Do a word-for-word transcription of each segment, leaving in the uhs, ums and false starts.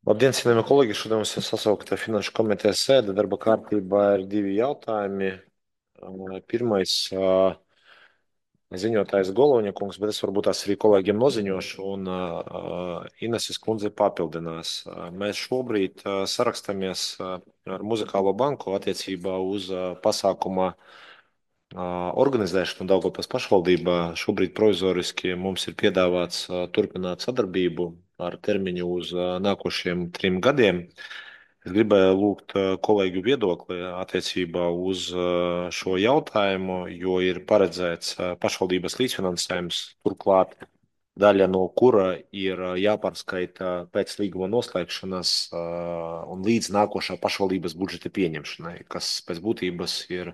Labdien, cienījamie kolēģi! Šodien mums ir sasaukta Finanšu komitejas sēde. Darba kārtībā ir divi jautājumi. Uh, Pirmais uh, ziņotājs Goloņa kungs, bet es varbūt tās arī kolēģiem noziņošu, un uh, Ineses kundze papildinās. Uh, Mēs šobrīd uh, sarakstamies uh, ar Muzikālo banku attiecībā uz uh, pasākuma uh, organizēšanu Daugavpils pašvaldībā. Šobrīd provizoriski mums ir piedāvāts uh, turpināt sadarbību ar termiņu uz uh, nākošiem trim gadiem. Es gribēju lūgt uh, kolēģu viedokli attiecībā uz uh, šo jautājumu, jo ir paredzēts uh, pašvaldības līdzfinansējums, turklāt daļa no kura ir uh, jāpārskaita pēc līguma noslēgšanas uh, un līdz nākošā pašvaldības budžeta pieņemšanai, kas pēc būtības ir,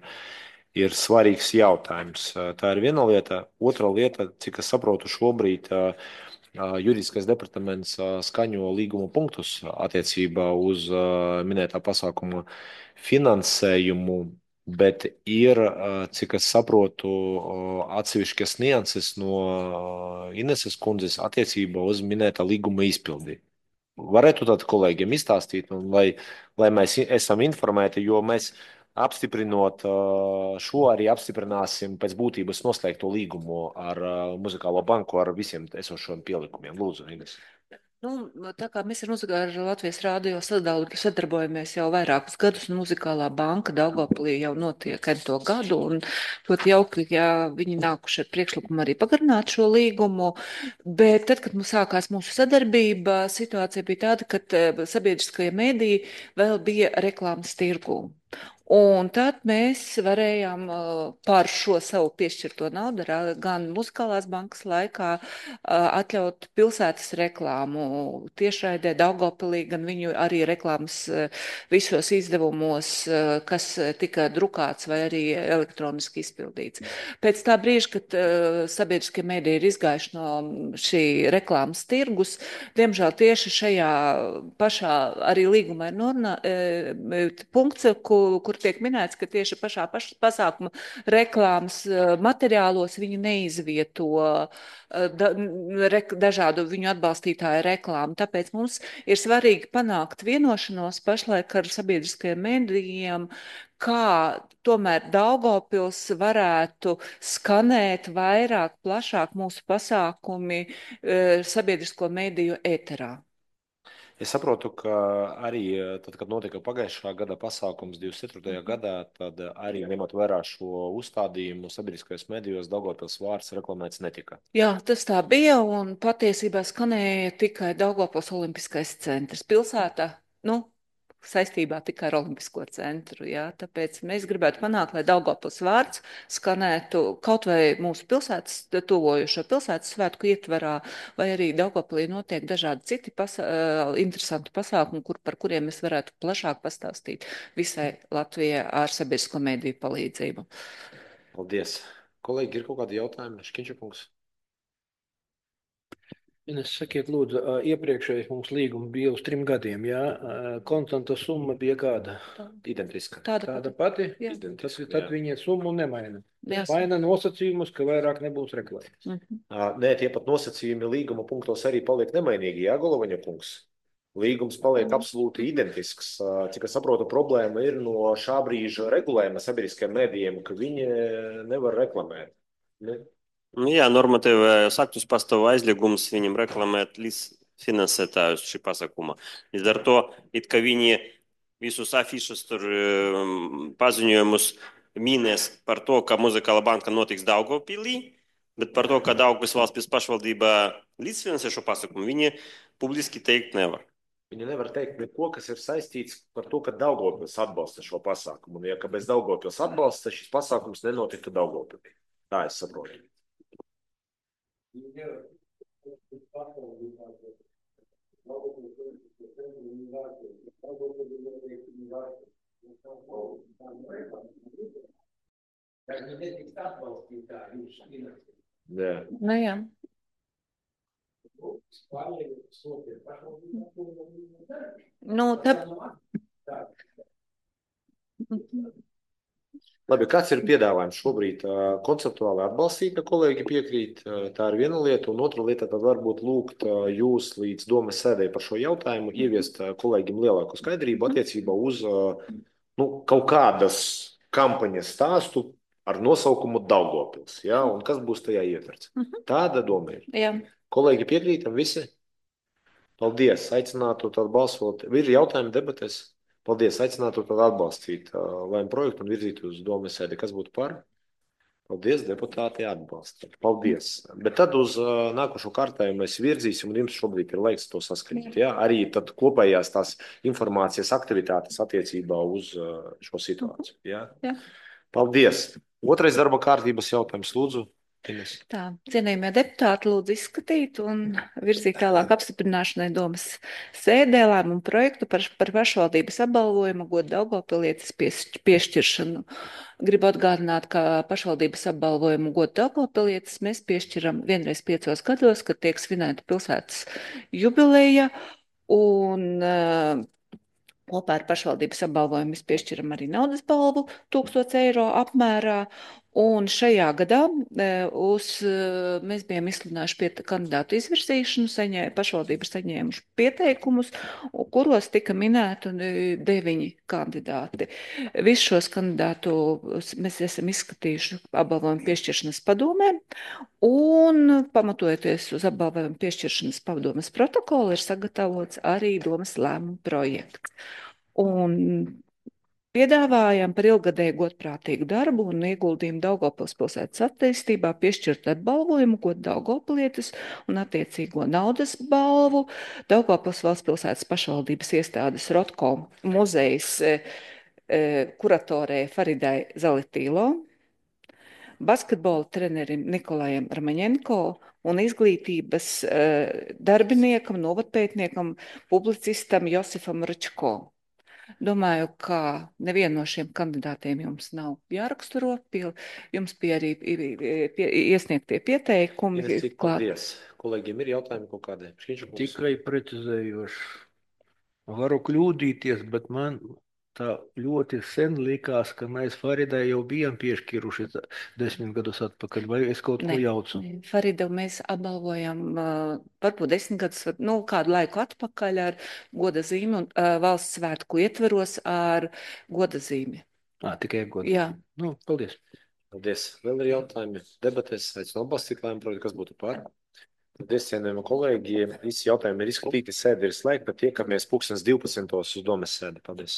ir svarīgs jautājums. Uh, Tā ir viena lieta. Otra lieta, cik es saprotu, šobrīd uh, Juridiskais departaments skaņo līguma punktus attiecībā uz minētā pasākuma finansējumu, bet ir, cik es saprotu, atsevišķas nianses no Ineses kundzes attiecībā uz minētā līguma izpildi. Varētu tad kolēģiem izstāstīt, un lai, lai mēs esam informēti, jo mēs apstiprinot uh, šo arī apstiprināsim pēc būtības noslēgto līgumu ar uh, Muzikālo banku ar visiem esošiem pielikumiem. Lūdzu, Ines. Nu, tā kā mēs ar, muzika, ar Latvijas rādio sadal- sadarbojamies jau vairākus gadus, un Muzikālā banka Daugavpilī jau notiek ento gadu, un ļoti jauki, ja viņi nākuši ar priekšlikumu arī pagarināt šo līgumu, bet tad, kad mums sākās mūsu sadarbība, situācija bija tāda, ka eh, sabiedriskajie mēdīji vēl bija reklāmas tirgū. Un tad mēs varējām uh, par šo savu piešķirto naudu ra- gan muzikālās bankas laikā uh, atļaut pilsētas reklāmu tiešraidē Daugavpilī, gan viņu arī reklāmas uh, visos izdevumos, uh, kas tika drukāts vai arī elektroniski izpildīts. Pēc tā brīža, kad uh, sabiedriskie mēdī ir izgājuši no šī reklāmas tirgus, diemžēl tieši šajā pašā arī līgumā ir norunā, e, punkts, kur, kur tiek minēts, ka tieši pašā paš, pasākuma reklāmas e, materiālos viņi neizvieto e, da, re, dažādu viņu atbalstītāju reklāmu. Tāpēc mums ir svarīgi panākt vienošanos pašlaik ar sabiedriskajiem medijiem, kā tomēr Daugavpils varētu skanēt vairāk, plašāk mūsu pasākumi e, sabiedrisko mediju ēterā. Es saprotu, ka arī tad, kad notika pagājušā gada pasākums divdesmit ceturtajā gadā, tad arī ņemot vērā šo uzstādījumu sabiedriskajos medijos Daugavpils vārds reklamēts netika. Jā, tas tā bija, un patiesībā skanēja tikai Daugavpils Olimpiskais centrs pilsētā, nu, saistībā tikai ar Olimpisko centru, jā, tāpēc mēs gribētu panākt, lai Daugavpils vārds skanētu kaut vai mūsu pilsētas, tuvojošo pilsētas svētku ietvarā, vai arī Daugavpilī notiek dažādi citi pasa uh, interesanti pasākumi, kur, par kuriem mēs varētu plašāk pastāstīt visai Latvijai ar sabiedrisko mediju palīdzību. Paldies. Kolēģi, ir kaut kādi jautājumi? Škiņčukungs. Ines, sakiet, lūdzu, ā, iepriekšējais mums līgums bija uz trim gadiem, jā? Ā, Konstanta summa bija kāda? Identiska. Tāda Tāda pati. pati? Jā. Tas, Identiska, tad jā. viņa summu nemaina. Jā. Maina nosacījumus, ka vairāk nebūs reklāmas. Mhm. Ā, Nē, tie pat nosacījumi līguma punktos arī paliek nemainīgi, jā, Golovaņa kungs? Līgums paliek absolūti identisks. Ā, Cik es saprotu, problēma ir no šā brīža regulējuma sabiedriskajiem mēdījiem, ka viņi nevar reklamēt. Ne? Nu, jā, normatīvajos aktus pastāv aizliegums viņam reklamēt līdzfinansētājus šī pasākuma. Līdz ar to, it kā viņi visus afišus tur um, paziņojumus mīnēs par to, ka Muzikāla banka notiks Daugavpilī, bet par to, ka Daugavpils valsts pašvaldība līdzfinansē šo pasākumu, viņi publiski teikt nevar. Viņi nevar teikt neko, kas ir saistīts par to, ka Daugavpils atbalsta šo pasākumu. Un, ja ka bez Daugavpils atbalsta, šis pasākums nenotiktu Daugavpilī. Tā es saprotu. Jā. Nu, jā. Nu, tā... Labi, kāds ir piedāvājums šobrīd? Ā, Konceptuāli atbalstīt, ka kolēģi piekrīt, ā, tā ir viena lieta, un otra lieta tad varbūt lūgt ā, jūs līdz domas sēdē par šo jautājumu, ieviest ā, kolēģim lielāku skaidrību attiecībā uz ā, nu, kaut kādas kampaņas stāstu ar nosaukumu Daugavpils, ja? Un kas būs tajā ietverts. Tāda doma ir. Jā. Kolēģi piekrītam visi? Paldies, aicinātu tad balsot. Ir jautājumi debatēs? Paldies, aicinātu tad atbalstīt uh, lēmu projektu un virzīt uz domas sēdi. Kas būtu par? Paldies, deputāti atbalsta. Paldies. Bet tad uz uh, nākošo kārtējumu mēs virzīsim, un jums šobrīd ir laiks to saskaņot. Ja? Arī tad kopējās tās informācijas aktivitātes attiecībā uz uh, šo situāciju. Ja? Jā. Paldies. Otrais darba kārtības jautājums, lūdzu. Ines. Tā, cienījamie deputāti, lūdzu izskatīt un virzīt tālāk apstiprināšanai domas sēdē lēmumu projektu par, par pašvaldības apbalvojumu godu Daugavpilietes pies- piešķiršanu. Gribu atgādināt, ka pašvaldības apbalvojumu godu Daugavpilietes mēs piešķiram vienreiz piecos gados, kad tiek svinēta pilsētas jubileja, un uh, kopā ar pašvaldības apbalvojumu mēs piešķiram arī naudas balvu tūkstoš eiro apmērā. Un šajā gadā e, uz, e, mēs bijām izsludinājuši pie kandidātu izvirsīšanu, saņē, pašvaldības saņēmuši pieteikumus, u- kuros tika minēti e, deviņi kandidāti. Visus šos kandidātus mēs esam izskatījuši apbalvojumu piešķiršanas padomē, un pamatojoties uz apbalvojumu piešķiršanas padomes protokolu ir sagatavots arī domas lēmumu projekts. Un piedāvājam par ilgadēju godprātīgu darbu un ieguldījumu Daugavpils pilsētas attīstībā piešķirt atbalvojumu godu Daugavpilietes un attiecīgo naudas balvu Daugavpils valsts pilsētas pašvaldības iestādes Rotko muzejas e, e, kuratorē Faridai Zalitīlo, basketbola trenerim Nikolajam Armaņenko un izglītības e, darbiniekam, novadpētniekam, publicistam Josifam Ručko. Domāju, ka nevienu no šiem kandidātiem jums nav jāraksturo. Pie, jums bija arī pie, iesniegtie pieteikumi. Ines, cik klāt. paldies. Kolēģiem ir jautājumi kaut kādai? Šķiņš kungs. Tikai precizējoši. Varu kļūdīties, bet man tā ļoti sen likās, ka mēs Faridai jau bijām piešķiruši tā- desmit gadus atpakaļ, vai es kaut ko Ne, jaucu? ne, Faridu mēs apbalvojam uh, varbūt desmit gadus, var- nu, kādu laiku atpakaļ ar goda zīmi un uh, valsts svētku ietveros ar goda zīmi. Ā, tikai godu. Jā. Nu, paldies. Paldies. Vēl ir jautājumi. Debatēs aicinu atbalstīt lēmumu projektu, kas būtu par. Paldies, cienījamie kolēģi. Visi jautājumi ir izskatīti, sēde ir slēgta. Tiekamies pulkstens divpadsmitos uz domas sēdi. Paldies.